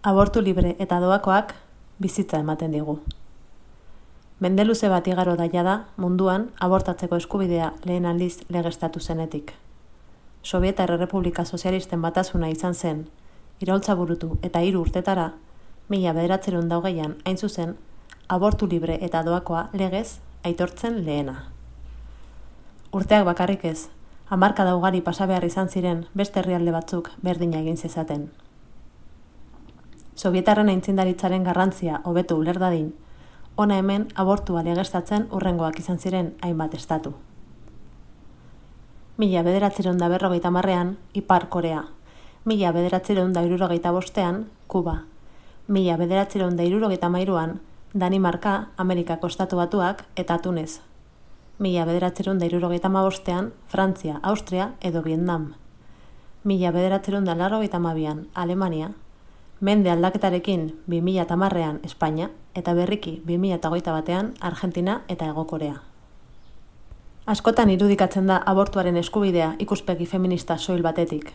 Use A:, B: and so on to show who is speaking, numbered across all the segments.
A: Abortu libre eta doakoak bizitza ematen digu. Mende luze bat igaro daia da munduan abortatzeko eskubidea lehen aldiz legeztatu zenetik. Sobietar Errepublika Sozialisten batasuna izan zen, iraultza burutu eta 3 urtetara, 1920an hain zuzen, abortu libre eta doakoa legez aitortzen lehena. Urteak bakarrik ez, hamarkada ugari pasa behar izan ziren beste herrialde batzuk berdina egin zezaten. Sobietarren aintzindaritzaren garrantzia hobeto uler dadin, hona hemen abortua legeztatzen hurrengoak izan ziren hainbat estatu. 1950ean Ipar Korea, 1975ean Kuba, 1973an Danimarka, Amerikako Estatu Batuak eta Tunez, 1975ean Frantzia, Austria edo Vietnam, 1982an Alemania, mende aldaketarekin 2010ean Espainia eta berriki 2021ean Argentina eta Hego Korea. Askotan irudikatzen da abortuaren eskubidea ikuspegi feminista soil batetik.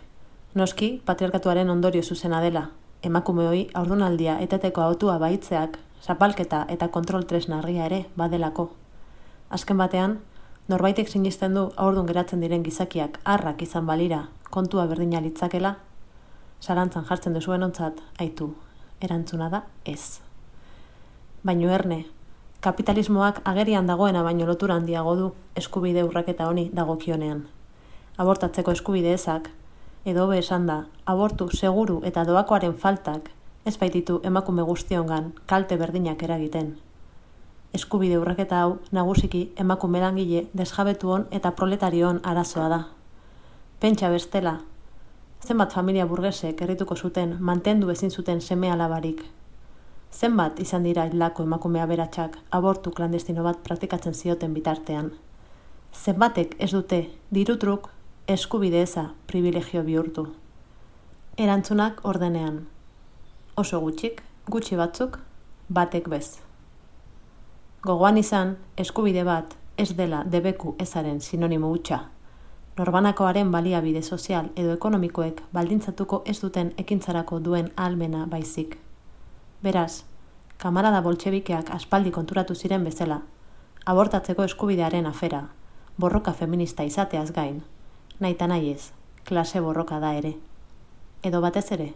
A: Noski, patriarkatuaren ondorio zuzena dela, emakumeoi haurdunaldia eteteko hautua baitzeak, zapalketa eta kontrol tresna argia ere badelako. Azken batean, norbaitek sinisten du haurdun geratzen diren gizakiak harrak izan balira, kontua berdina litzakela, zalantzan jartzen duzuenontzat, aitu, erantzuna da ez. Baino erne, kapitalismoak agerian dagoena baino lotura handiago du eskubide urraketa honi dagokionean. Abortatzeko eskubide ezak, edo hobe esan da, abortu seguru eta doakoaren faltak ez baititu emakume guztiongan kalte berdinak eragiten. Eskubide urraketa hau nagusiki emakume langile desjabetuon eta proletarion arazoa da. Pentsa bestela, zenbat familia burgesek herrituko zuten mantendu ezin zuten seme-alabarik. Zenbat izan dira hildako emakume aberatsak abortu klandestino bat praktikatzen zioten bitartean. Zenbatek ez dute dirutruk eskubide eza privilegio bihurtu. Erantzunak ordenean. Oso gutxik, gutxi batzuk, batek bez. Gogoan izan, eskubide bat ez dela debeku ezaren sinonimo hutsa. Norbanakoaren baliabide sozial edo ekonomikoek baldintzatuko ez duten ekintzarako duen ahalmena baizik. Beraz, kamarada boltxebikeak aspaldi konturatu ziren bezala, abortatzeko eskubidearen afera, borroka feminista izateaz gain, nahita nahi ez, klase borroka da ere. Edo batez ere,